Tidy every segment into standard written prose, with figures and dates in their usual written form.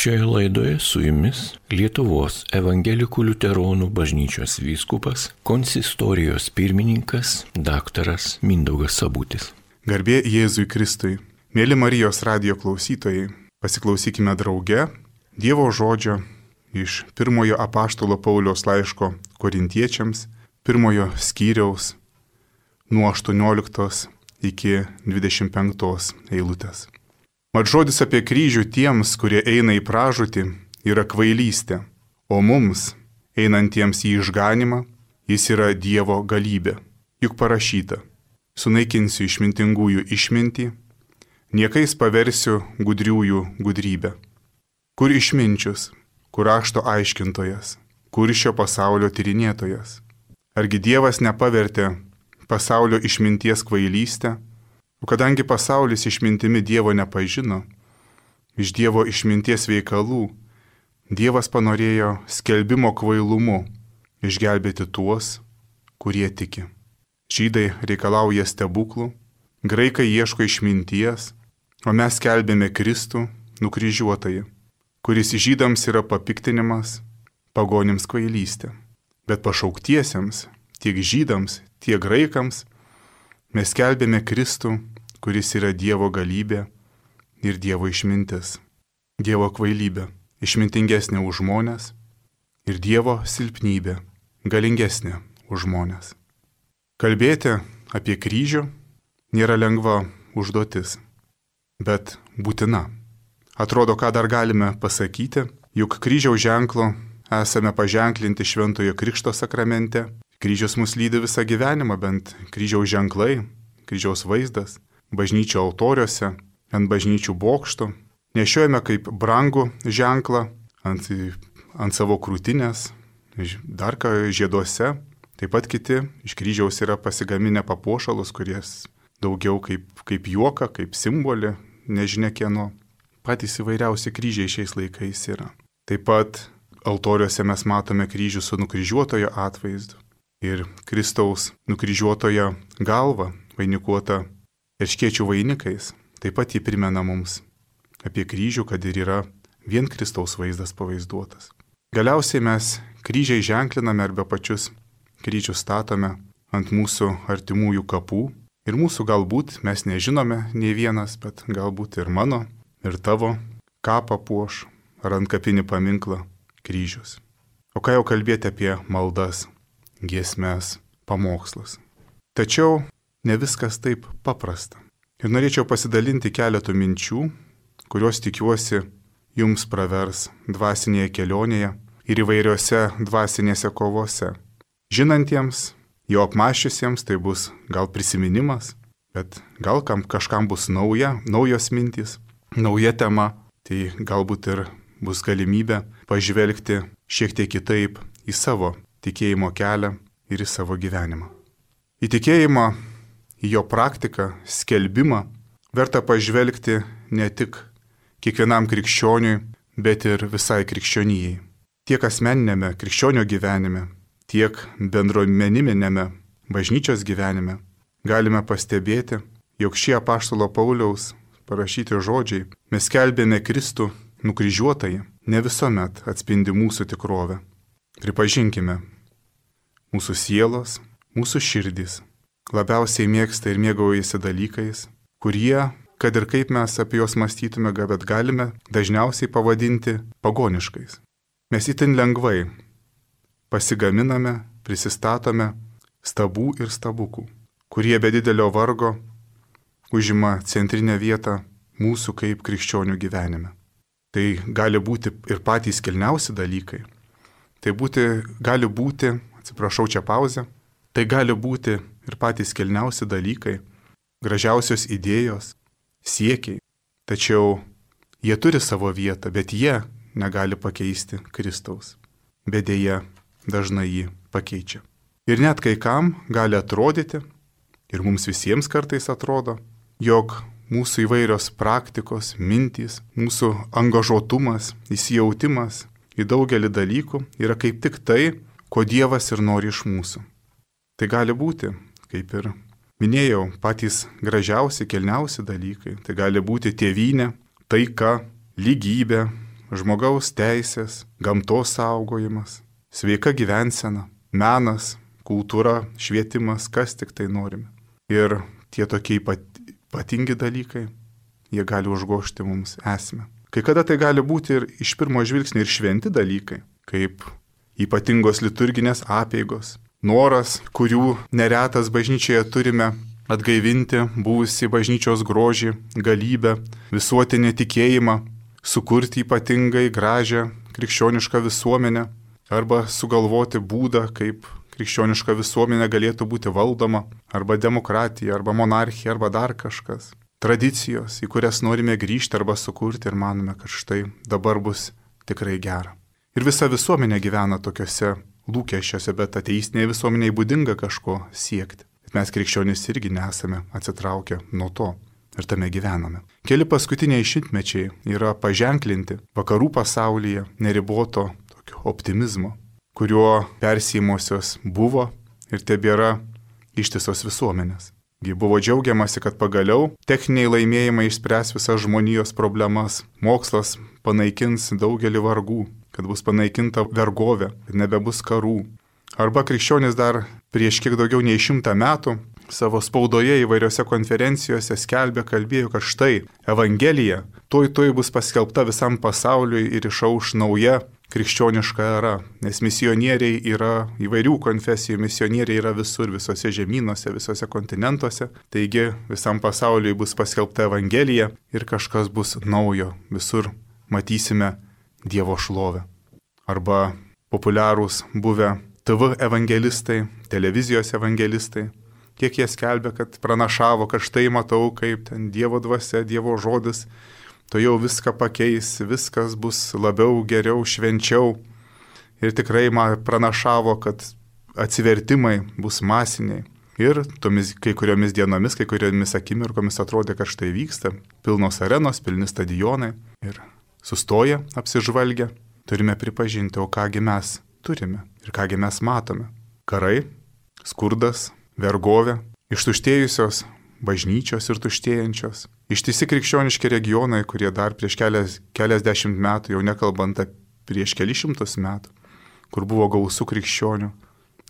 Šioje laidoje su jumis Lietuvos evangelikų liuteronų bažnyčios vyskupas, konsistorijos pirmininkas daktaras Mindaugas Sabutis. Garbė Jėzui Kristui. Mėly Marijos radijo klausytojai, pasiklausykime drauge Dievo žodžio iš pirmojo apaštalo Pauliaus laiško Korintiečiams, pirmojo skyriaus nuo 18 iki 25 eilutės. Mat žodis apie kryžių tiems, kurie eina į pražūtį, yra kvailystė, o mums, einantiems į išganimą, jis yra Dievo galybė. Juk parašyta, sunaikinsiu išmintingųjų išmintį, niekais paversiu gudriųjų gudrybę. Kur išminčius, kur rašto aiškintojas, kur šio pasaulio tyrinėtojas? Argi Dievas nepavertė pasaulio išminties kvailystę? O kadangi pasaulis išmintimi Dievo nepažino, iš Dievo išminties veikalų Dievas panorėjo skelbimo kvailumu išgelbėti tuos, kurie tiki. Žydai reikalauja stebuklų, graikai ieško išminties, o mes skelbėme Kristų nukryžiuotąjį, kuris žydams yra papiktinimas, pagonims kvailystė. Bet pašauktiesiems, tiek žydams, tiek graikams, mes skelbėme Kristų, kuris yra Dievo galybė ir Dievo išmintis. Dievo kvailybė išmintingesnė už žmonės ir Dievo silpnybė galingesnė už žmonės. Kalbėti apie kryžių nėra lengva užduotis, bet būtina. Atrodo, ką dar galime pasakyti, juk kryžiaus ženklo esame paženklinti Šventojo Krikšto sakramente. Kryžius mus lydi visą gyvenimą, bent kryžiaus ženklai, kryžiaus vaizdas, bažnyčio altoriuose, ant bažnyčių bokštų. Nešiojame kaip brangų ženklą ant savo krūtinės, dar ką žieduose. Taip pat kiti iš kryžiaus yra pasigaminę papuošalus, kuries daugiau kaip juoką, kaip simbolį, nežinia kieno. Patys įvairiausi kryžiai šiais laikais yra. Taip pat altoriuose mes matome kryžių su nukryžiuotojo atvaizdu. Ir Kristaus nukryžiuotojo galva, vainikuota erškėčių vainikais, taip pat jį primena mums apie kryžių, kad ir yra vien Kristaus vaizdas pavaizduotas. Galiausiai mes kryžiai ženkliname arba pačius kryžius statome ant mūsų artimųjų kapų. Ir mūsų galbūt mes nežinome nei vienas, bet galbūt ir mano, ir tavo kapą puoš ar ant kapinį paminklą kryžius. O ką jau kalbėti apie maldas, giesmes, pamokslus. Tačiau ne viskas taip paprasta. Ir norėčiau pasidalinti keletų minčių, kurios tikiuosi jums pravers dvasinėje kelionėje ir įvairiose dvasinėse kovose. Žinantiems, jau apmąsčiusiems tai bus gal prisiminimas, bet gal kažkam bus naujos mintys, nauja tema, tai galbūt ir bus galimybė pažvelgti šiek tiek kitaip į savo tikėjimo kelią ir į savo gyvenimą. Į tikėjimą, į jo praktiką, skelbimą verta pažvelgti ne tik kiekvienam krikščioniui, bet ir visai krikščionijai. Tiek asmeninėme krikščionio gyvenime, tiek bendruomeninėme bažnyčios gyvenime galime pastebėti, jog šie apaštalo Pauliaus parašyti žodžiai, mes skelbėme Kristų nukryžiuotąjį, ne visuomet atspindi mūsų tikrovę. Pripažinkime, mūsų sielos, mūsų širdys labiausiai mėgsta ir mėgaujasi dalykais, kurie, kad ir kaip mes apie juos mąstytume, bet galime dažniausiai pavadinti pagoniškais. Mes itin lengvai pasigaminame, prisistatome stabų ir stabukų, kurie be didelio vargo užima centrinę vietą mūsų kaip krikščionių gyvenime. Tai gali būti ir patys kilniausi dalykai. Gali būti, atsiprašau, čia pauzė, tai gali būti ir patys kilniausi dalykai, gražiausios idėjos, siekiai. Tačiau jie turi savo vietą, bet jie negali pakeisti Kristaus. Bet dėja dažnai jį pakeičia. Ir net kai kam gali atrodyti, ir mums visiems kartais atrodo, jog mūsų įvairios praktikos, mintys, mūsų angažuotumas, įsijautimas į daugelį dalykų yra kaip tik tai, ko Dievas ir nori iš mūsų. Tai gali būti, kaip ir minėjau, patys gražiausi, kilniausi dalykai. Tai gali būti tėvynė, taika, lygybė, žmogaus teisės, gamtos saugojimas, sveika gyvensena, menas, kultūra, švietimas, kas tik tai norime. Ir tie tokie ypatingi dalykai, jie gali užgožti mums esmę. Kai kada tai gali būti ir iš pirmo žvilgsnio ir šventi dalykai, kaip ypatingos liturginės apeigos, noras, kurių neretas bažnyčioje turime atgaivinti buvusį bažnyčios grožį, galybę, visuotinį tikėjimą, sukurti ypatingai gražią krikščionišką visuomenę arba sugalvoti būdą, kaip krikščioniška visuomenė galėtų būti valdoma, arba demokratija, arba monarchija, arba dar kažkas. Tradicijos, į kurias norime grįžti arba sukurti ir manome, kad štai dabar bus tikrai gera. Ir visa visuomenė gyvena tokiuose lūkesčiuose, bet ateistinėje visuomenėje būdinga kažko siekti. Bet mes krikščionys irgi nesame atsitraukę nuo to ir tame gyvename. Keli paskutiniai šimtmečiai yra paženklinti vakarų pasaulyje neriboto tokio optimizmo, kuriuo persijimosios buvo ir tebėra ištisos visuomenės. Buvo džiaugiamasi, kad pagaliau techniniai laimėjimai išspręs visas žmonijos problemas, mokslas panaikins daugelį vargų, kad bus panaikinta vergovė, kad nebebus karų. Arba krikščionys dar prieš kiek daugiau nei 100 metų savo spaudoje įvairiose konferencijose kalbėjo, kad štai Evangelija tuoj bus paskelbta visam pasauliui ir išauš nauja krikščioniška era, nes misionieriai yra įvairių konfesijų, misionieriai yra visur, visose žemynuose, visose kontinentuose, taigi visam pasauliui bus paskelbta Evangelija ir kažkas bus naujo, visur matysime Dievo šlovę. Arba populiarūs buvę TV evangelistai, televizijos evangelistai, kiek jie skelbia, kad pranašavo, kad štai matau, kaip ten Dievo dvasia, Dievo žodis, to jau viską pakeis, viskas bus labiau, geriau, švenčiau. Ir tikrai man pranašavo, kad atsivertimai bus masiniai. Ir tomis kai kuriomis dienomis, kai kuriomis akimirkomis atrodė, kad štai vyksta pilnos arenos, pilni stadionai. Ir sustoję, apsižvalgę, turime pripažinti, o kągi mes turime ir kągi mes matome. Karai, skurdas, vergovė, ištuštėjusios bažnyčios ir tuštėjančios. Ištisi krikščioniški regionai, kurie dar prieš keliasdešimt metų, jau nekalbant prieš kelišimtus metų, kur buvo gausų krikščionių,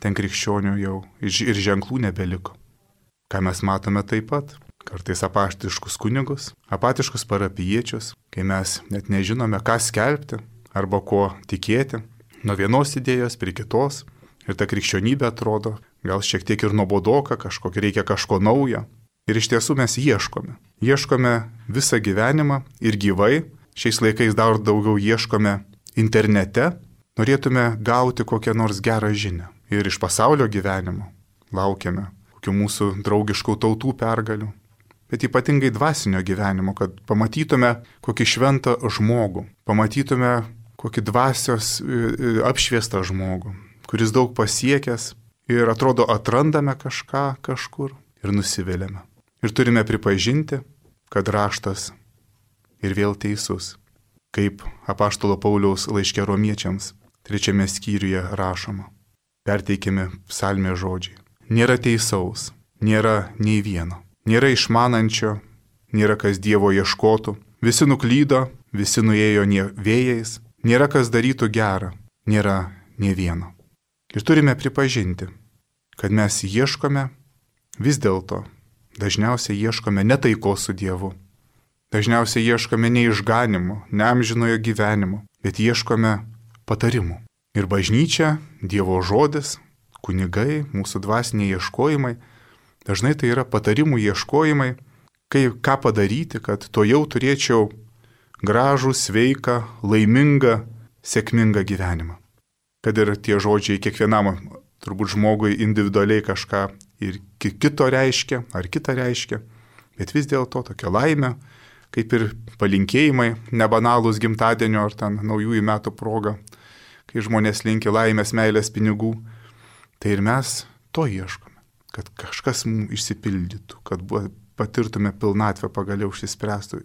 ten krikščionių jau ir ženklų nebeliko. Ką mes matome taip pat? Kartais apaštiškus kunigus, apatiškus parapijiečius, kai mes net nežinome, ką skelbti arba ko tikėti, nuo vienos idėjos prie kitos, ir ta krikščionybė atrodo gal šiek tiek ir nuobodoka, reikia kažko naujo. Ir iš tiesų mes ieškome visą gyvenimą ir gyvai, šiais laikais dar daugiau ieškome internete, norėtume gauti kokią nors gerą žinią. Ir iš pasaulio gyvenimo laukiame kokių mūsų draugiškų tautų pergalių, bet ypatingai dvasinio gyvenimo, kad pamatytume kokį šventą žmogų, pamatytume kokį dvasios apšviestą žmogų, kuris daug pasiekęs ir atrodo atrandame kažką kažkur ir nusiviliame. Ir turime pripažinti, kad raštas ir vėl teisus, kaip apaštalo Pauliaus laiške Romiečiams 3 skyriuje rašoma. Perteikiami psalmės žodžiai. Nėra teisaus, nėra nei vieno, nėra išmanančio, nėra kas Dievo ieškotų, visi nuklydo, visi nuėjo vėjais, nėra kas darytų gerą, nėra nei vieno. Ir turime pripažinti, kad mes ieškome vis dėlto, dažniausiai ieškome ne taikos su Dievu, dažniausiai ieškome ne išganimo, ne amžinojo gyvenimo, bet ieškome patarimų. Ir bažnyčia, Dievo žodis, kunigai, mūsų dvasiniai ieškojimai, dažnai tai yra patarimų ieškojimai, ką padaryti, kad to jau turėčiau gražų, sveiką, laimingą, sėkmingą gyvenimą. Kad ir tie žodžiai kiekvienam turbūt žmogui individualiai kažką ir kito reiškia, ar kitą reiškia, bet vis dėlto tokia laimė, kaip ir palinkėjimai, nebanalūs gimtadienio ar ten naujųjų metų proga, kai žmonės linki laimės, meilės, pinigų, tai ir mes to ieškome, kad kažkas mums išsipildytų, kad patirtume pilnatvę, pagaliau išsispręstų,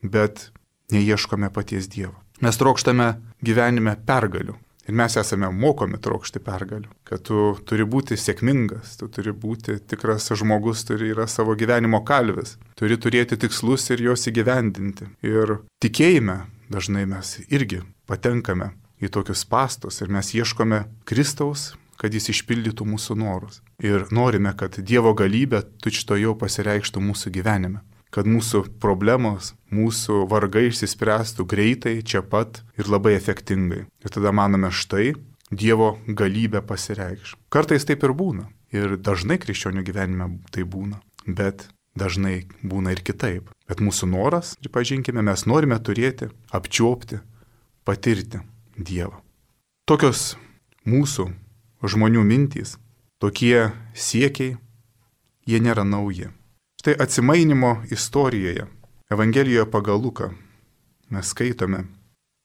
bet neieškome paties Dievo. Mes trokštame gyvenime pergalių. Ir mes esame mokomi trokšti pergalių, kad tu turi būti sėkmingas, tu turi būti tikras žmogus, yra savo gyvenimo kalvis, turi turėti tikslus ir juos įgyvendinti. Ir tikėjime dažnai mes irgi patenkame į tokius spąstus ir mes ieškome Kristaus, kad jis išpildytų mūsų norus. Ir norime, kad Dievo galybė tučtuojau pasireikštų mūsų gyvenime. Kad mūsų problemos, mūsų vargai išsispręstų greitai, čia pat ir labai efektingai. Ir tada manome, štai Dievo galybė pasireikš. Kartais taip ir būna. Ir dažnai krikščionių gyvenime tai būna. Bet dažnai būna ir kitaip. Bet mūsų noras, pripažinkime, mes norime turėti, apčiuopti, patirti Dievą. Tokios mūsų žmonių mintys, tokie siekiai, jie nėra nauji. Štai atsimainimo istorijoje, Evangelijoje pagal Luką, mes skaitome,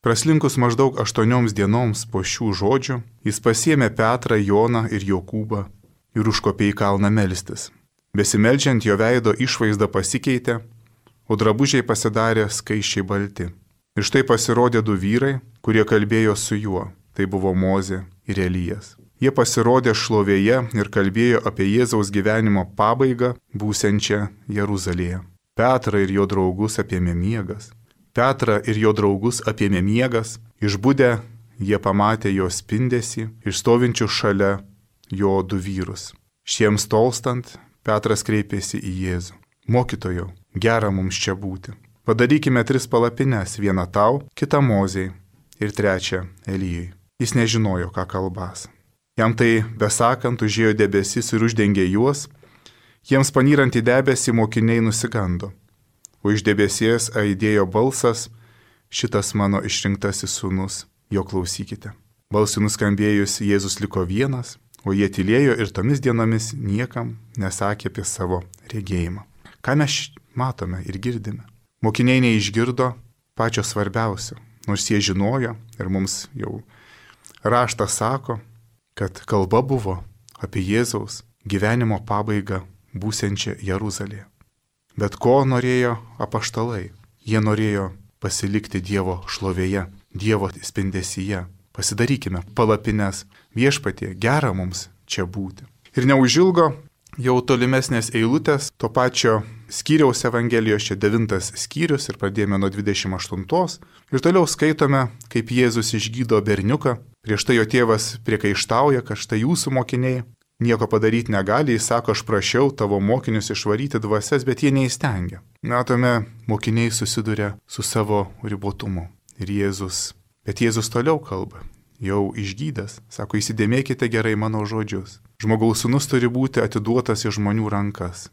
praslinkus maždaug 8 dienoms po šių žodžių, jis pasiėmė Petrą, Joną ir Jokūbą ir užkopė į kalną melstis. Besimeldžiant jo veido išvaizda pasikeitė, o drabužiai pasidarė skaisčiai balti. Ir štai pasirodė 2 vyrai, kurie kalbėjo su juo. Tai buvo Mozė ir Elijas. Jie pasirodė šlovėje ir kalbėjo apie Jėzaus gyvenimo pabaigą būsiančią Jeruzalėje. Petrą ir jo draugus apėmė miegas. Išbudę jie pamatė jo spindesį ir stovinčių šalia jo 2 vyrus. Šiems tolstant, Petras kreipėsi į Jėzų. Mokytojau, gera mums čia būti. Padarykime 3 palapines, vieną tau, kitą Mozei ir 3 Elijai. Jis nežinojo, ką kalbas. Jam tai besakant užėjo debesis ir uždengė juos, jiems panyrant į debesį mokiniai nusigando. O iš debesies aidėjo balsas, šitas mano išrinktasis sūnus, jo klausykite. Balsui nuskambėjus Jėzus liko vienas, o jie tylėjo ir tomis dienomis niekam nesakė apie savo regėjimą. Ką mes matome ir girdime? Mokiniai neišgirdo pačio svarbiausio, nors jie žinojo ir mums jau raštas sako, kad kalba buvo apie Jėzaus gyvenimo pabaigą būsiančią Jeruzalėje. Bet ko norėjo apaštalai? Jie norėjo pasilikti Dievo šlovėje, Dievo spindesyje. Pasidarykime palapines, viešpatie, gera mums čia būti. Ir neužilgo jau tolimesnės eilutės to pačio skyriaus Evangelijos, čia 9 skyrius ir pradėjome nuo 28 ir toliau skaitome, kaip Jėzus išgydo berniuką. Prieš tai jo tėvas priekaištauja, kad štai jūsų mokiniai nieko padaryti negali, jis sako, aš prašiau tavo mokinius išvaryti dvasias, bet jie neįstengia. Matome, mokiniai susiduria su savo ribotumu. Bet Jėzus toliau kalba, jau išgydęs, sako, įsidėmėkite gerai mano žodžius. Žmogaus sūnus turi būti atiduotas į žmonių rankas.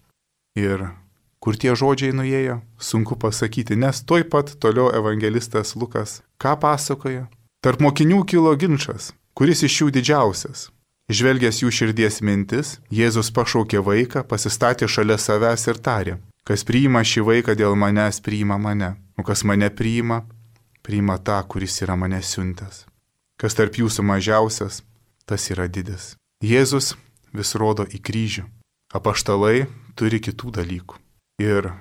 Ir kur tie žodžiai nuėjo, sunku pasakyti, nes tuoj pat toliau evangelistas Lukas ką pasakoja? Tarp mokinių kilo ginčas, kuris iš jų didžiausias. Žvelgęs jų širdies mintis, Jėzus pašaukė vaiką, pasistatė šalia savęs ir tarė, kas priima šį vaiką dėl manęs, priima mane, o kas mane priima, priima tą, kuris yra mane siuntęs. Kas tarp jūsų mažiausias, tas yra didis. Jėzus vis rodo į kryžių. Apaštalai turi kitų dalykų. Ir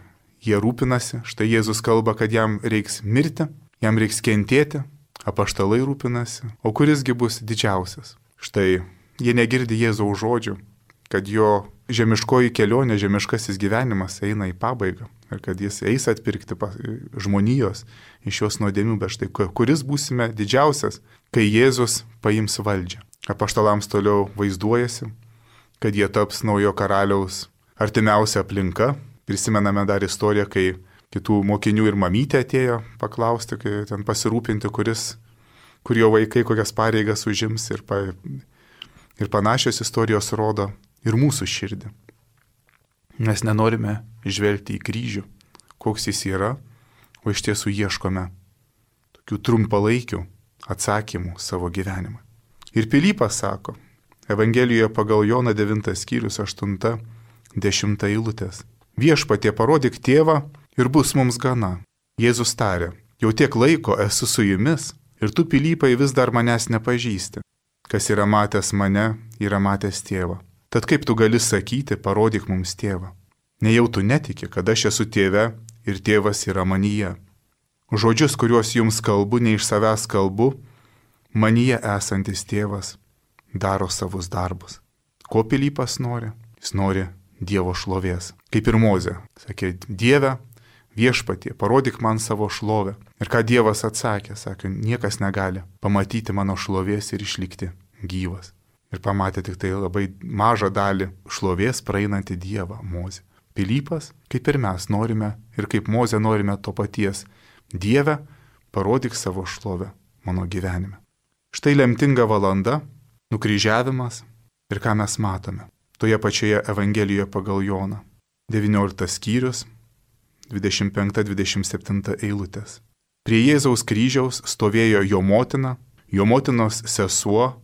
jie rūpinasi, štai Jėzus kalba, kad jam reiks mirti, jam reiks kentėti. Apaštalai rūpinasi, o kurisgi bus didžiausias? Štai jie negirdi Jėzaus žodžių, kad jo žemiškoji kelionė, žemiškasis gyvenimas eina į pabaigą ir kad jis eis atpirkti žmonijos iš jos nuodėmių, bet štai kuris būsime didžiausias, kai Jėzus paims valdžią. Apaštalams toliau vaizduojasi, kad jie taps naujo karaliaus artimiausia aplinka. Prisimename dar istoriją, kai kitų mokinių ir mamytė atėjo paklausti, kai ten pasirūpinti, kur jo vaikai kokias pareigas užims ir panašios istorijos rodo ir mūsų širdį. Mes nenorime žvelgti į kryžių, koks jis yra, o iš tiesų ieškome tokių trumpalaikių atsakymų savo gyvenimą. Ir Pilypas sako, Evangelijoje pagal Joną 9 skyrius 8-10 eilutės. Viešpatie, parodyk tėvą ir bus mums gana. Jėzus tarė, jau tiek laiko esu su jumis ir tu, Pilypai, vis dar manęs nepažįsti. Kas yra matęs mane, yra matęs tėvą. Tad kaip tu gali sakyti, parodyk mums tėvą? Nejau tu netiki, kad aš esu tėve ir tėvas yra manyje. Žodžius, kuriuos jums kalbu, ne iš savęs kalbu, manyje esantis tėvas daro savus darbus. Ko Pilypas nori? Jis nori Dievo šlovės. Kaip ir Mozė. Sakė, Dieve, viešpatie, parodyk man savo šlovę. Ir ką Dievas atsakė, sakė, niekas negali pamatyti mano šlovės ir išlikti gyvas. Ir pamatė tik tai labai mažą dalį šlovės praeinantį Dievą, Mozę. Pilypas, kaip ir mes norime ir kaip Mozė norime to paties. Dieve, parodyk savo šlovę mano gyvenime. Štai lemtinga valanda, nukryžiavimas ir ką mes matome. Toje pačioje Evangelijoje pagal Joną. 19 skyrius, 25-27 eilutės. Prie Jėzaus kryžiaus stovėjo jo motina, jo motinos sesuo,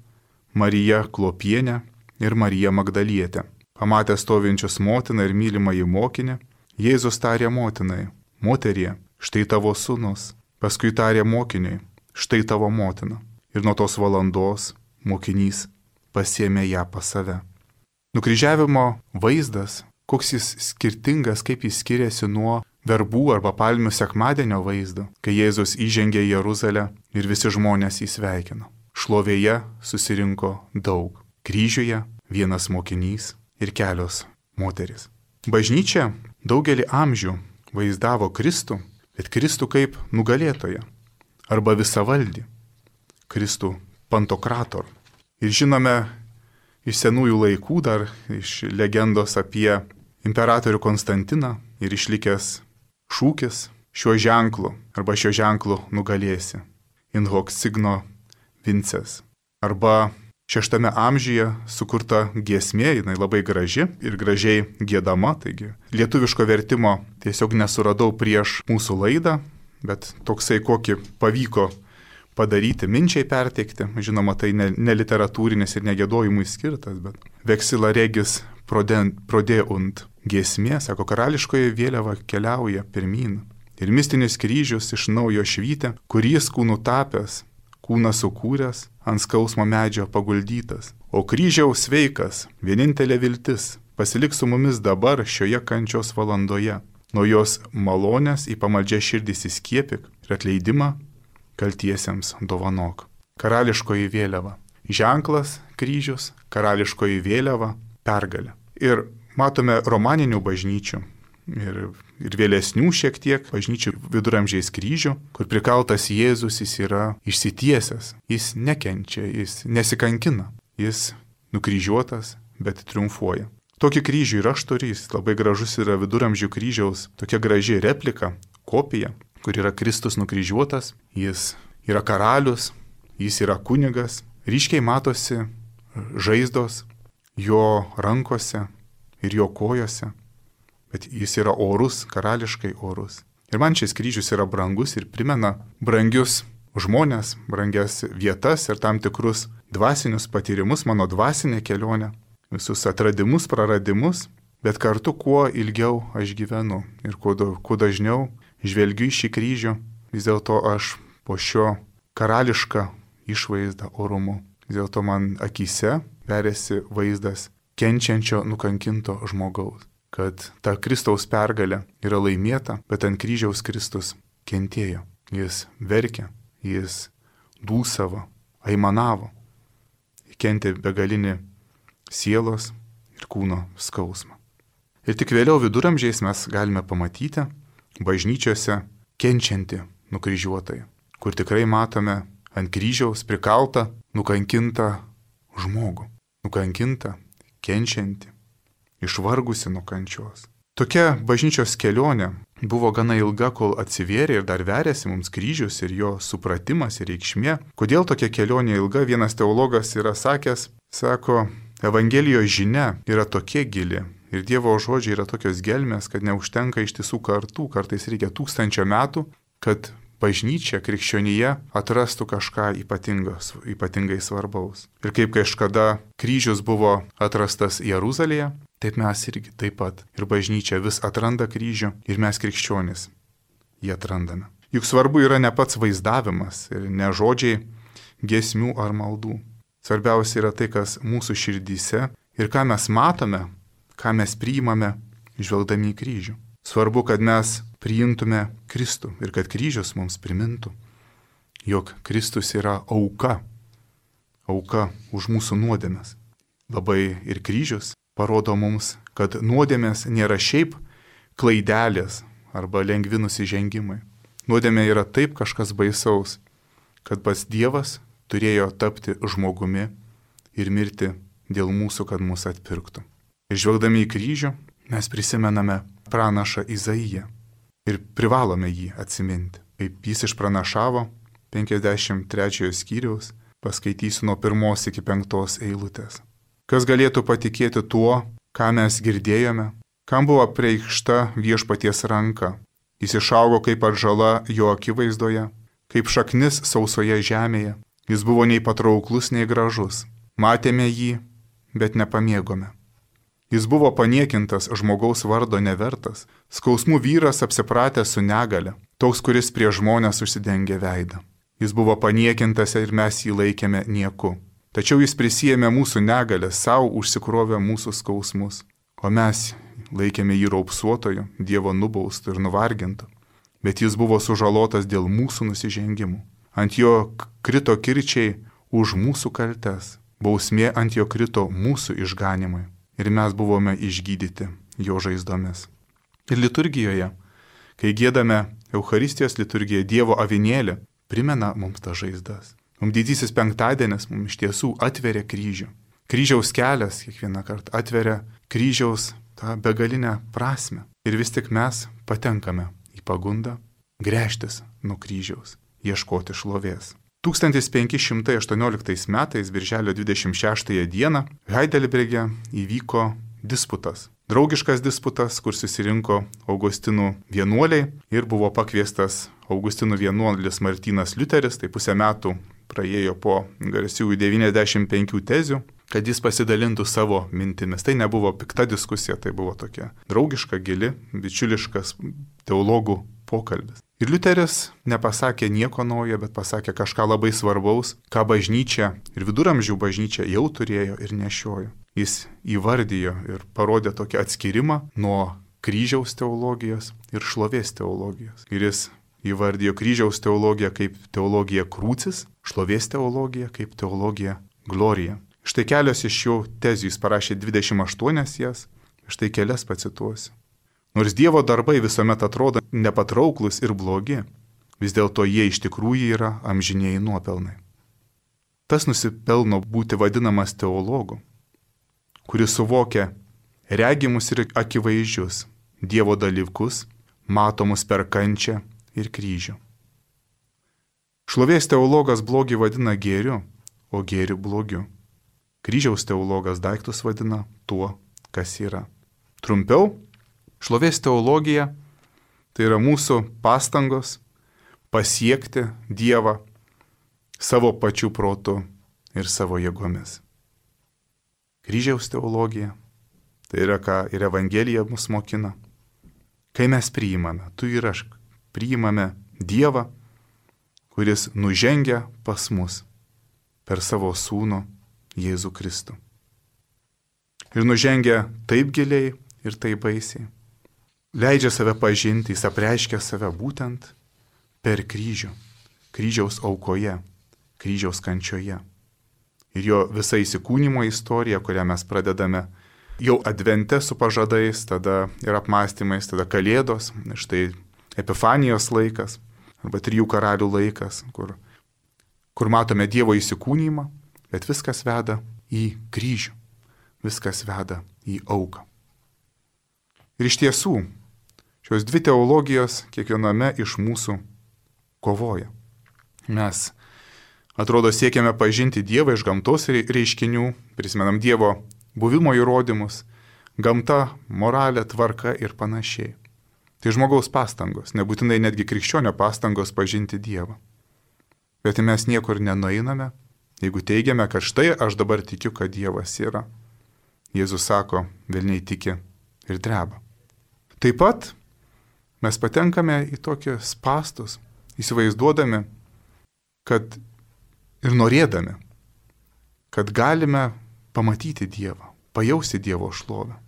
Marija Klopienė ir Marija Magdalietė. Pamatę stovinčius motiną ir mylimąjį mokinį, Jėzus tarė motinai, moterie, štai tavo sūnus. Paskui tarė mokiniui, štai tavo motina. Ir nuo tos valandos mokinys pasiėmė ją pas save. Nukryžiavimo vaizdas, koks jis skirtingas, kaip jis skiriasi nuo verbų arba palmių sekmadienio vaizdo, kai Jėzus įžengė į Jeruzalę ir visi žmonės jį sveikino. Šlovėje susirinko daug. Kryžiuje vienas mokinys ir kelios moteris. Bažnyčia daugelį amžių vaizdavo Kristų, bet Kristų kaip nugalėtoją arba visavaldį, Kristų pantokrator. Ir žinome iš senųjų laikų, dar iš legendos apie imperatorių Konstantiną ir išlikęs šūkis šiuo ženklu arba šio ženklu nugalėsi. In hoc signo vinces. Arba 6 amžiuje sukurta giesmė, jinai labai graži ir gražiai giedama, taigi lietuviško vertimo tiesiog nesuradau prieš mūsų laidą, bet toksai kokį pavyko padaryti, minčiai perteikti, žinoma, tai ne literatūrinis ir negėdojimui skirtas, bet vexila regis prodeunt giesmė, sako, karališkoji vėliava keliauja pirmyn ir mistinis kryžius iš naujo švytė, kurys kūnų tapęs, kūną sukūręs, ant skausmo medžio paguldytas. O kryžiaus sveikas, vienintelė viltis, pasilik su mumis dabar šioje kančios valandoje. Nuo jos malonės į pamaldžią širdį įskiepik ir atleidimą kaltiesiems dovanok. Karališkoji vėliava. Ženklas kryžius, karališkoji vėliava, pergalė. Ir matome romaninių bažnyčių ir vėlesnių šiek tiek bažnyčių viduramžiais kryžių, kur prikaltas Jėzus, jis yra išsitiesęs, jis nekenčia, jis nesikankina, jis nukryžiuotas, bet triumfuoja. Tokį kryžių ir aš turiu, jis labai gražus yra viduramžių kryžiaus, tokia graži replika, kopija, kur yra Kristus nukryžiuotas, jis yra karalius, jis yra kunigas, ryškiai matosi žaizdos jo rankose ir jo kojose. Bet jis yra orus, karališkai orus. Ir man šis kryžius yra brangus ir primena brangius žmonės, brangias vietas ir tam tikrus dvasinius patyrimus, mano dvasinė kelionė, visus atradimus, praradimus, bet kartu kuo ilgiau aš gyvenu ir kuo dažniau žvelgiu į šį kryžių, vis dėlto aš po šio karališką išvaizdą orumu. Vis dėlto man akyse veriasi vaizdas kenčiančio, nukankinto žmogaus. Kad ta Kristaus pergalė yra laimėta, bet ant kryžiaus Kristus kentėjo. Jis verkė, jis dūsavo, aimanavo, kentė begalinį sielos ir kūno skausmą. Ir tik vėliau viduramžiais mes galime pamatyti bažnyčiose kenčiantį nukryžiuotąjį, kur tikrai matome ant kryžiaus prikaltą, nukankintą žmogų, nukankintą, kenčiantį, išvargusi nuo kančios. Tokia bažnyčios kelionė buvo gana ilga, kol atsivėrė ir dar verėsi mums kryžius ir jo supratimas ir reikšmė. Kodėl tokia kelionė ilga? Vienas teologas yra sakęs, sako, Evangelijos žinia yra tokia gili ir Dievo žodžiai yra tokios gelmės, kad neužtenka ištisų kartų, kartais reikia 1000 metų, kad bažnyčia, krikščionija atrastų kažką ypatingai svarbaus. Ir kaip kažkada kryžius buvo atrastas Jeruzalėje, taip mes irgi taip pat. Ir bažnyčia vis atranda kryžių ir mes krikščionys jį atrandame. Juk svarbu yra ne pats vaizdavimas ir ne žodžiai giesmių ar maldų. Svarbiausia yra tai, kas mūsų širdyse ir ką mes matome, ką mes priimame žvelgdami į kryžių. Svarbu, kad mes priimtume Kristų ir kad kryžius mums primintų, jog Kristus yra auka už mūsų nuodėmes. Labai ir kryžius parodo mums, kad nuodėmės nėra šiaip klaidelės arba lengvi nusižengimai. Nuodėmė yra taip kažkas baisaus, kad pats Dievas turėjo tapti žmogumi ir mirti dėl mūsų, kad mus atpirktų. Ir žvelgdami į kryžių, mes prisimename pranašą Izaiją ir privalome jį atsiminti. Kaip jis išpranašavo 53 skyriaus, paskaitysiu nuo 1 iki 5 eilutės. Kas galėtų patikėti tuo, ką mes girdėjome, kam buvo apreikšta viešpaties ranka. Jis išaugo kaip atžala jo akivaizdoje, kaip šaknis sausoje žemėje. Jis buvo nei patrauklus, nei gražus. Matėme jį, bet nepamėgome. Jis buvo paniekintas, žmogaus vardo nevertas, skausmų vyras apsipratęs su negale, toks, kuris prie žmonės užsidengė veidą. Jis buvo paniekintas ir mes jį laikėme nieku. Tačiau jis prisijėmė mūsų negalę, savo užsikrovė mūsų skausmus, o mes laikėme jį raupsuotoju, Dievo nubaustu ir nuvargintu. Bet jis buvo sužalotas dėl mūsų nusižengimų. Ant jo krito kirčiai už mūsų kaltes, bausmė ant jo krito mūsų išganimui. Ir mes buvome išgydyti jo žaizdomis. Ir liturgijoje, kai giedame Eucharistijos liturgiją Dievo avinėlį, primena mums tas žaizdas. Mums didysis penktadienis mums iš tiesų atveria kryžių. Kryžiaus kelias kiekvieną kartą atveria kryžiaus tą begalinę prasme. Ir vis tik mes patenkame į pagundą gręžtis nuo kryžiaus, ieškoti šlovės. 1518 metais, birželio 26 dieną, Heidelberge įvyko disputas. Draugiškas disputas, kur susirinko Augustinų vienuoliai ir buvo pakviestas Augustinų vienuolis Martynas Liuteris, tai pusę metų praėjo po garsiųjų 95 tezių, kad jis pasidalintų savo mintimis. Tai nebuvo pikta diskusija, tai buvo tokia draugiška, gili, bičiuliškas teologų pokalbis. Ir Liuteris nepasakė nieko naujo, bet pasakė kažką labai svarbaus, ką bažnyčia ir viduramžių bažnyčia jau turėjo ir nešiojo. Jis įvardijo ir parodė tokį atskirimą nuo kryžiaus teologijos ir šlovės teologijos. Ir jis įvardijo kryžiaus teologiją kaip teologija krūcis, šlovės teologija kaip teologija glorija. Štai kelios iš jo tezių, jis parašė 28 jas, štai kelias pacituosiu. Nors Dievo darbai visuomet atrodo nepatrauklus ir blogi, vis dėlto jie iš tikrųjų yra amžinėjai nuopelnai. Tas nusipelno būti vadinamas teologu, kuris suvokia regimus ir akivaizdžius Dievo dalykus, matomus per kančią ir kryžių. Šlovės teologas blogį vadina gėriu, o gėriu blogiu. Kryžiaus teologas daiktus vadina tuo, kas yra. Trumpiau, šlovės teologija tai yra mūsų pastangos pasiekti Dievą savo pačių protu ir savo jėgomis. Kryžiaus teologija tai yra, ką ir Evangelija mus mokina. Kai mes priimame, tu ir aš priimame Dievą, kuris nužengia pas mus per savo sūnų Jėzų Kristų. Ir nužengia taip giliai ir taip baisiai. Leidžia save pažinti, jis apreiškia save būtent per kryžių, kryžiaus aukoje, kryžiaus kančioje. Ir jo visa įsikūnymo istorija, kurią mes pradedame jau advente su pažadais, tada ir apmąstymais, tada Kalėdos, štai Epifanijos laikas, arba 3 karalių laikas, kur matome Dievo įsikūnymą, bet viskas veda į kryžių, viskas veda į auką. Ir iš tiesų, šios dvi teologijos kiekviename iš mūsų kovoja. Mes, atrodo, siekiame pažinti Dievą iš gamtos reiškinių, prisimenam Dievo buvimo įrodymus, gamta, moralė, tvarka ir panašiai. Tai žmogaus pastangos, nebūtinai netgi krikščionio pastangos pažinti Dievą. Bet mes niekur nenueiname, jeigu teigiame, kad štai aš dabar tikiu, kad Dievas yra. Jėzus sako, velniai tiki ir dreba. Taip pat mes patenkame į tokius spastus, įsivaizduodami, kad ir norėdami, kad galime pamatyti Dievą, pajausti Dievo šlovę,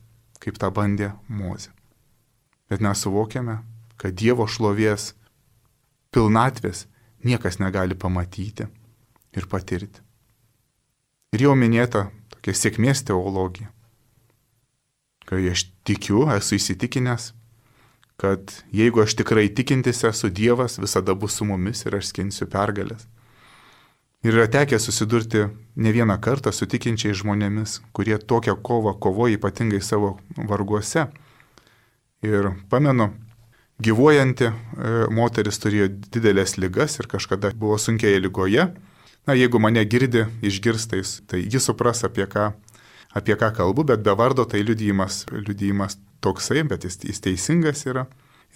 kaip tą bandė Mozė. Bet mes suvokiame, kad Dievo šlovės pilnatvės niekas negali pamatyti ir patirti. Ir jau minėta tokia sėkmės teologija. Kai aš tikiu, esu įsitikinęs, kad jeigu aš tikrai tikintis esu, Dievas visada bus su mumis ir aš skinsiu pergalės. Ir yra tekę susidurti ne vieną kartą su tikinčiais žmonėmis, kurie tokią kovą kovoja ypatingai savo varguose. Ir pamenu, gyvuojanti moteris turėjo didelės ligas ir kažkada buvo sunkioje ligoje. Na, jeigu mane girdi, išgirstais, tai jis supras, apie ką kalbu, bet be vardo tai liudijimas toksai, bet jis teisingas yra.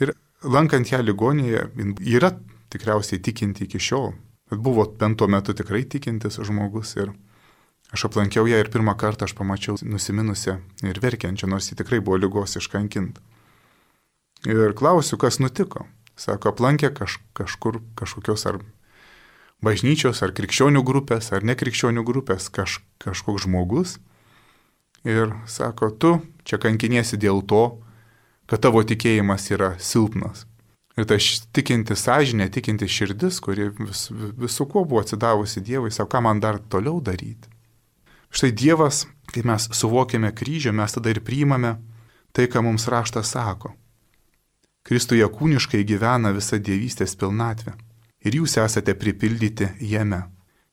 Ir lankant ją ligonėje, yra tikriausiai tikinti iki šiol. Bet buvo bent tuo metu tikrai tikintis žmogus ir aš aplankiau ją ir pirmą kartą aš pamačiau nusiminusią ir verkiančią, nors ji tikrai buvo ligos iškankinta. Ir klausiu, kas nutiko. Sako, aplankė kažkokios ar bažnyčios, ar krikščionių grupės, ar nekrikščionių grupės kažkoks žmogus. Ir sako, tu čia kankiniesi dėl to, kad tavo tikėjimas yra silpnas. Ir ta tikinti sąžinė, tikinti širdis, kuri visu kuo buvo atsidavusi Dievui, sako, ką man dar toliau daryti. Štai Dievas, kai mes suvokėme kryžių, mes tada ir priimame tai, ką mums raštas sako. Kristuje kūniškai gyvena visa dievystės pilnatvė. Ir jūs esate pripildyti jame.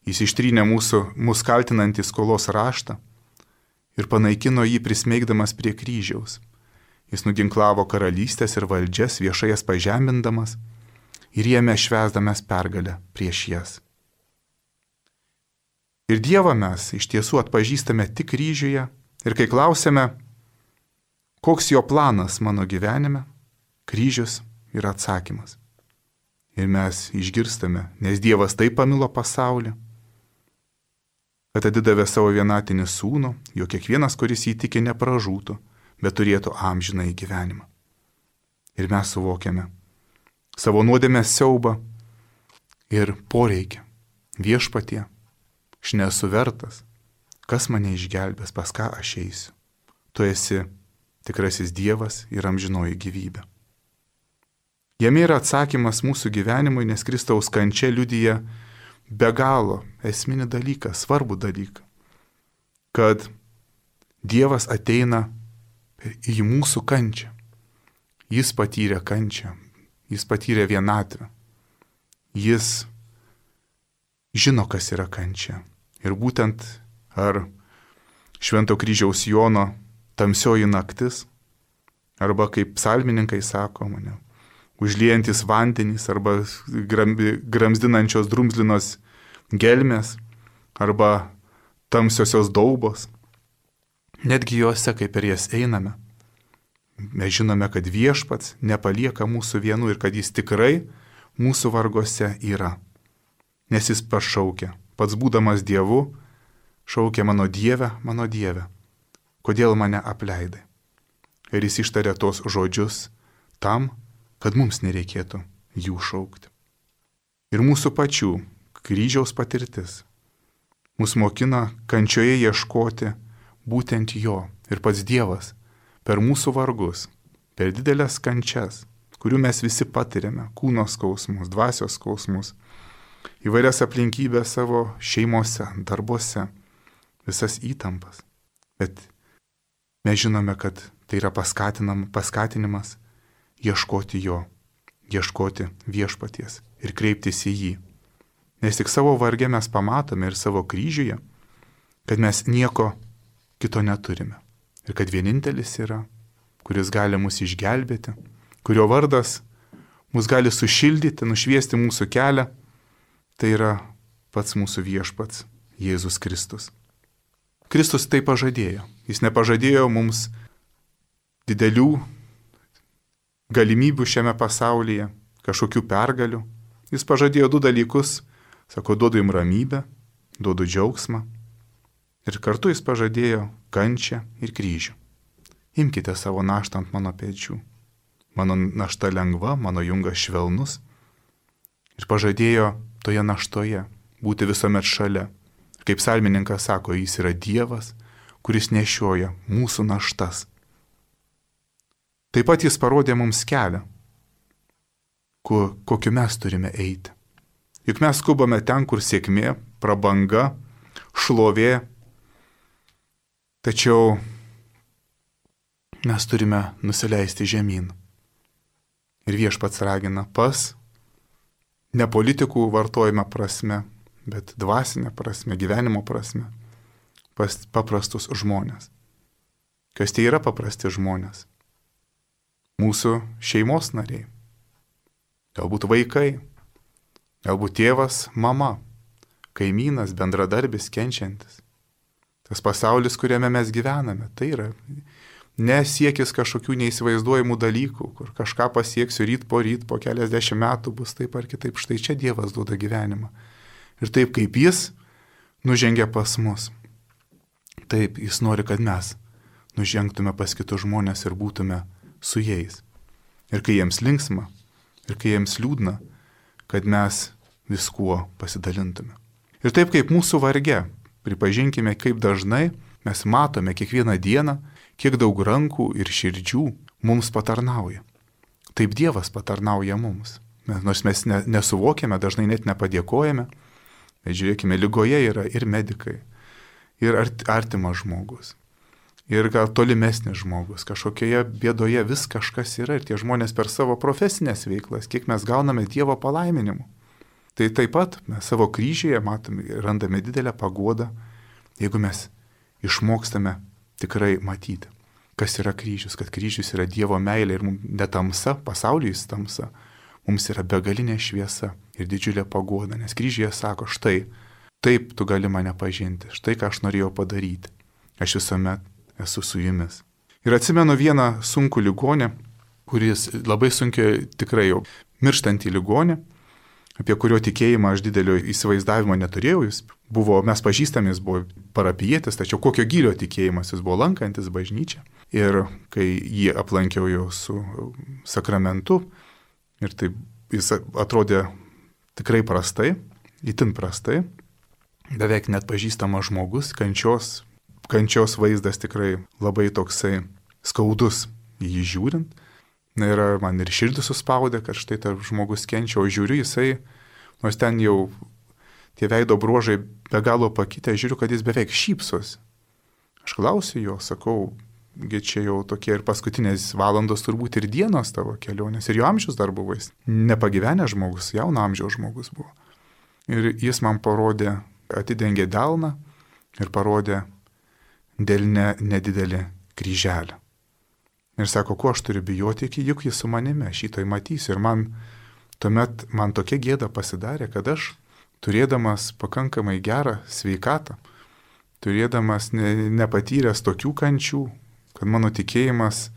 Jis ištrynė mūsų kaltinantį skolos raštą ir panaikino jį prismeigdamas prie kryžiaus. Jis nuginklavo karalystės ir valdžias, viešai jas pažemindamas ir jame švęsdamas pergalę prieš jas. Ir Dievą mes iš tiesų atpažįstame tik kryžiuje ir kai klausėme, koks jo planas mano gyvenime, kryžius yra atsakymas. Ir mes išgirstame, nes Dievas taip pamilo pasaulį, kad atidavė savo vienatinį sūnų, jog kiekvienas, kuris jį tiki, nepražūtų, bet turėtų amžinąjį gyvenimą. Ir mes suvokiame savo nuodėmės siaubą ir poreikį. Viešpatie, aš nesu vertas, kas mane išgelbės, pas ką aš eisiu. Tu esi tikrasis Dievas ir amžinoji gyvybė. Jame yra atsakymas mūsų gyvenimui, nes Kristaus kančia liudija be galo esminį dalyką, svarbų dalyką, kad Dievas ateina į mūsų kančią. Jis patyrė kančią, jis patyrė vienatvę. Jis žino, kas yra kančia. Ir būtent ar Švento kryžiaus Jono tamsioji naktis, arba kaip psalmininkai sako mane, užliejantis vandenys, arba gramzdinančios drumzlinos gelmės, arba tamsiosios daubos. Netgi juose, kaip per jas einame, mes žinome, kad Viešpats nepalieka mūsų vienų ir kad jis tikrai mūsų vargose yra. Nes jis pašaukia, pats būdamas Dievu, šaukia mano Dieve, kodėl mane apleidai. Ir jis ištarė tos žodžius tam, kad mums nereikėtų jų šaukti. Ir mūsų pačių kryžiaus patirtis mus mokina kančioje ieškoti būtent jo. Ir pats Dievas per mūsų vargus, per didelės kančias, kurių mes visi patiriame, kūno skausmus, dvasios skausmus, įvairias aplinkybės savo šeimose, darbuose, visas įtampas. Bet mes žinome, kad tai yra paskatinimas ieškoti jo, ieškoti Viešpaties ir kreiptis į jį. Nes tik savo varge mes pamatome ir savo kryžiuje, kad mes nieko kito neturime. Ir kad vienintelis yra, kuris gali mus išgelbėti, kurio vardas mus gali sušildyti, nušviesti mūsų kelią, tai yra pats mūsų Viešpats Jėzus Kristus. Kristus tai pažadėjo. Jis nepažadėjo mums didelių galimybių šiame pasaulyje, kažkokių pergalių. Jis pažadėjo du dalykus. Sako, duodu jums ramybę, duodu džiaugsmą. Ir kartu jis pažadėjo kančią ir kryžių. Imkite savo naštą ant mano pečių. Mano našta lengva, mano jungas švelnus. Ir pažadėjo toje naštoje būti visuomet šalia. Ir kaip psalmininkas sako, jis yra Dievas, kuris nešioja mūsų naštas. Taip pat jis parodė mums kelią, kokiu mes turime eiti. Juk mes skubame ten, kur sėkmė, prabanga, šlovė. Tačiau mes turime nusileisti žemyn. Ir Viešpats ragina pas, ne politikų vartojime prasme, bet dvasinė prasme, gyvenimo prasme, pas paprastus žmonės. Kas tai yra paprasti žmonės? Mūsų šeimos nariai. Galbūt vaikai, galbūt tėvas, mama, kaimynas, bendradarbis, kenčiantis. Tas pasaulis, kuriame mes gyvename, tai yra nesiekis kažkokių neįsivaizduojamų dalykų, kur kažką pasieksiu ryt, po keliasdešimt metų bus taip ar kitaip. Štai čia Dievas duoda gyvenimą. Ir taip kaip Jis nužengia pas mus, taip Jis nori, kad mes nužengtume pas kitus žmonės ir būtume su jais. Ir kai jiems linksma, ir kai jiems liūdna, kad mes viskuo pasidalintume. Ir taip kaip mūsų varge, pripažinkime, kaip dažnai mes matome kiekvieną dieną, kiek daug rankų ir širdžių mums patarnauja. Taip Dievas patarnauja mums. Nors mes nesuvokiame, dažnai net nepadėkojame, bet žiūrėkime, ligoje yra ir medikai, ir artimas žmogus, ir gal tolimesnis žmogus, kažkokioje bėdoje vis kažkas yra, ir tie žmonės per savo profesinės veiklas, kiek mes gauname Dievo palaiminimų. Tai taip pat mes savo kryžiuje matome, randame didelę paguodą, jeigu mes išmokstame tikrai matyti, kas yra kryžius, kad kryžius yra Dievo meilė ir mums ne tamsa, pasaulyje jis tamsa, mums yra begalinė šviesa ir didžiulė paguoda, nes kryžiuje sako, štai, taip tu gali mane pažinti, štai ką aš norėjau padaryti, aš visuomet esu su jumis. Ir atsimenu vieną sunkų ligonį, kuris labai sunkiai tikrai jau mirštantį ligonį, apie kurio tikėjimą aš didelio įsivaizdavimo neturėjau, mes pažįstami, jis buvo parapijietis, tačiau kokio gilio tikėjimas, jis buvo lankantis bažnyčią. Ir kai jį aplankiau jau su sakramentu, ir taip jis atrodė tikrai prastai, itin prastai, beveik net pažįstamas žmogus, kančios vaizdas tikrai labai toksai skaudus jį žiūrint. Ir man ir širdį suspaudė, kad štai tarp žmogus kenčia, o žiūriu jisai, nors ten jau tie veido bruožai be galo pakitę, žiūriu, kad jis beveik šypsosi. Aš klausiu jo, sakau, čia jau tokie ir paskutinės valandos turbūt ir dienos tavo kelionės, ir jo amžius dar buvo, jis nepagyvenęs žmogus, jauno amžiaus žmogus buvo. Ir jis man parodė, atidengė delną ir parodė delne nedidelį kryželį. Ir sako, ko aš turiu bijoti, juk jis su manimi, aš šitoj matysiu. Ir tuomet man tokia gėda pasidarė, kad aš, turėdamas pakankamai gerą sveikatą, turėdamas nepatyręs tokių kančių, kad mano tikėjimas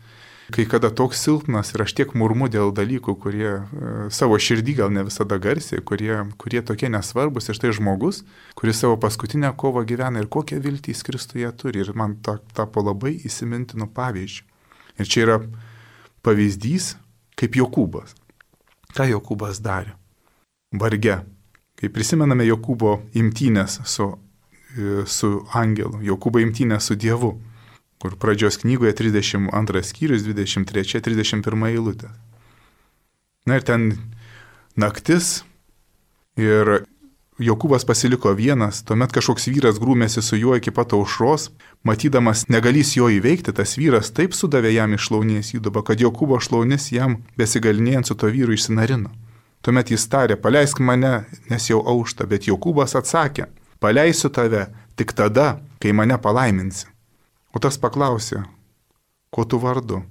kai kada toks silpnas ir aš tiek murmu dėl dalykų, kurie savo širdį gal ne visada garsiai, kurie tokie nesvarbus, ir štai žmogus, kuris savo paskutinę kovą gyvena ir kokią viltį jis Kristuje turi. Ir man tapo labai įsimintinu pavyzdžių. Ir čia yra pavyzdys kaip Jokūbas. Ką Jokūbas darė? Varge. Kai prisimename Jokūbo imtynės su angelu, Jokūbo imtynės su Dievu, kur pradžios knygoje 32 skyrius, 23-31 eilutė. Na ir ten naktis ir Jokūbas pasiliko vienas, tuomet kažkoks vyras grūmėsi su juo iki pat aušros, matydamas negalys jo įveikti, tas vyras taip sudavė jam iš šlaunies įdubą, kad Jokūbo šlaunis jam besigalinėjant su to vyru išsinarino. Tuomet jis tarė, paleisk mane, nes jau aušta, bet Jokūbas atsakė, paleisiu tave tik tada, kai mane palaiminsi. O tas paklausė, ko tu vardu?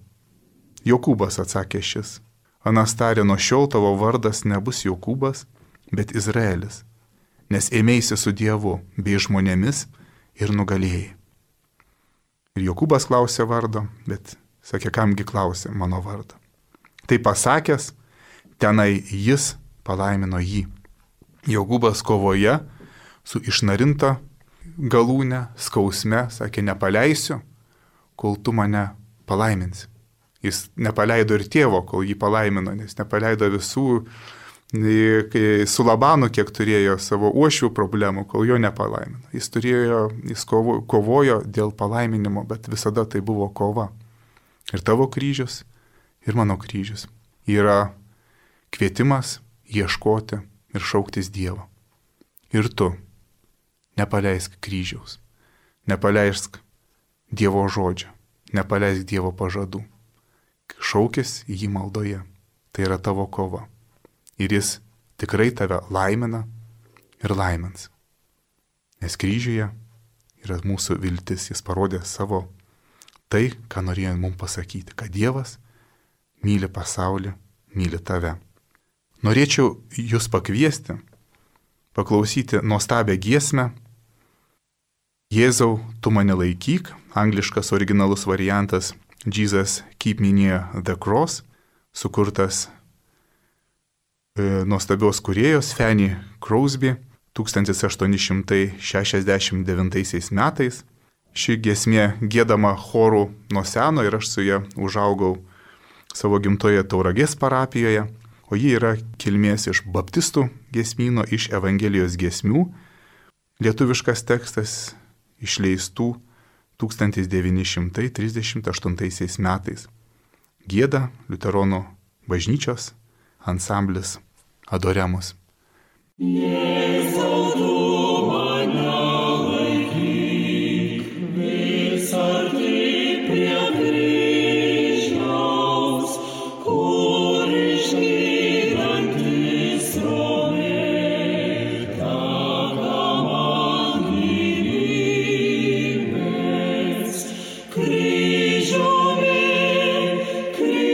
Jokūbas, atsakė šis. Anas tarė, nuo šiol tavo vardas nebus Jokūbas, bet Izraelis, nes ėmėsi su Dievu bei žmonėmis ir nugalėjai. Ir Jokūbas klausė vardo, bet sakė, kamgi klausė mano vardą. Tai pasakęs, tenai jis palaimino jį. Jokūbas kovoje su išnarinta galūne, skausme, sakė, nepaleisiu, kol tu mane palaiminsi. Jis nepaleido ir tėvo, kol jį palaimino, nes nepaleido visų, su Labanu, kiek turėjo savo uošvių problemų, kol jo nepalaimino. Jis kovojo dėl palaiminimo, bet visada tai buvo kova. Ir tavo kryžius, ir mano kryžius yra kvietimas ieškoti ir šauktis Dievo. Ir tu nepaleisk kryžiaus, nepaleisk Dievo žodžio, nepaleisk Dievo pažadų. Šaukis jį maldoje tai yra tavo kova. Ir jis tikrai tave laimina ir laimins. Nes kryžiuje yra mūsų viltis, jis parodė savo tai, ką norėjo mums pasakyti, kad Dievas myli pasaulį, myli tave. Norėčiau jūs pakviesti, paklausyti nuostabią giesmę Jėzau, tu mane laikyk, angliškas originalus variantas Jesus Keep Me Near the Cross, sukurtas nuostabios kūrėjos Fanny Crosby 1869 metais. Ši giesmė giedama chorų nuo seno ir aš su ja užaugau savo gimtoje Tauragės parapijoje, o ji yra kilmės iš baptistų giesmyno, iš Evangelijos giesmių. Lietuviškas tekstas išleistų 1938 metais. Gieda liuteronų bažnyčios ansamblis Adoremus. Jėzau, tu mane laikyk, vis arti prie kryžiaus, kur išgydantis srovė teka man gyvybės. Kryžiumi visada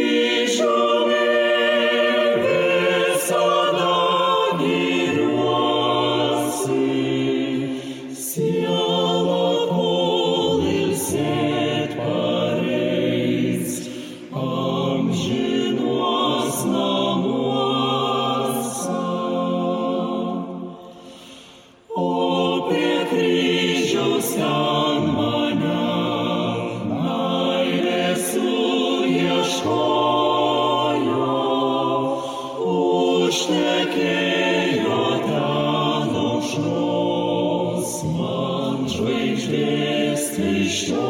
užtekėjo ten aušros man žvaigždės kryžioji.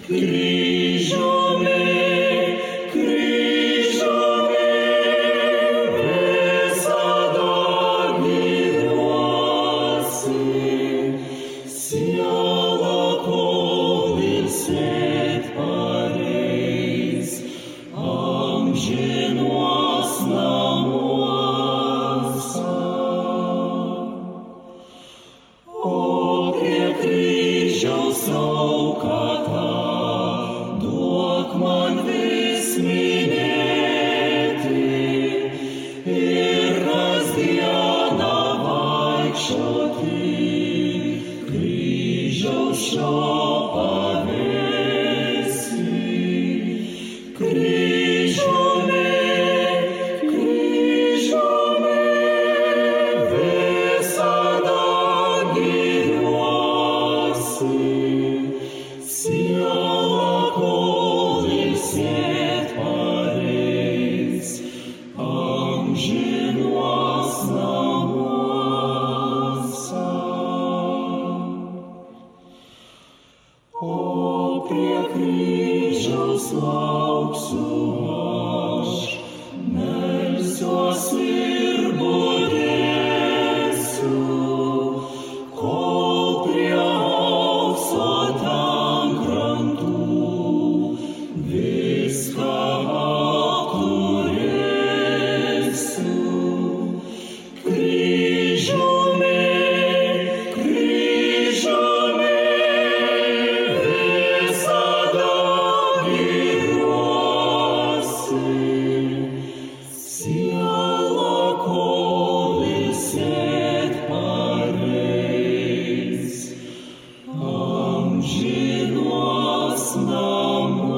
Kryžiumi visada gyvuosi, siela kol ilsėt pareis amžinuos namuose. O prie kryžiaus auką tą duok man vis minėti ir kasdieną vaikščioti kryžiaus šio pavėsy. Kryžiumi visada gyvuosi, siela kol ilsėt pareis amžinuos namuose. O prie kryžiaus lauksiu aš, melsiuosi ir budėsiu, kol prie aukso ten krantų viską apturėsiu. Kryžiumi visada gyvuosi, siela kol ilsėt pareis amžinuos namuose.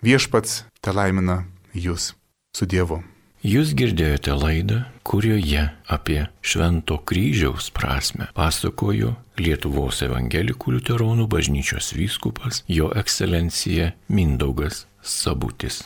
Viešpats telaimina jūs su Dievu. Jūs girdėjote laidą, kurioje apie Švento kryžiaus prasmę pasakojo Lietuvos evangelikų liuteronų bažnyčios vyskupas Jo ekscelencija Mindaugas Sabutis.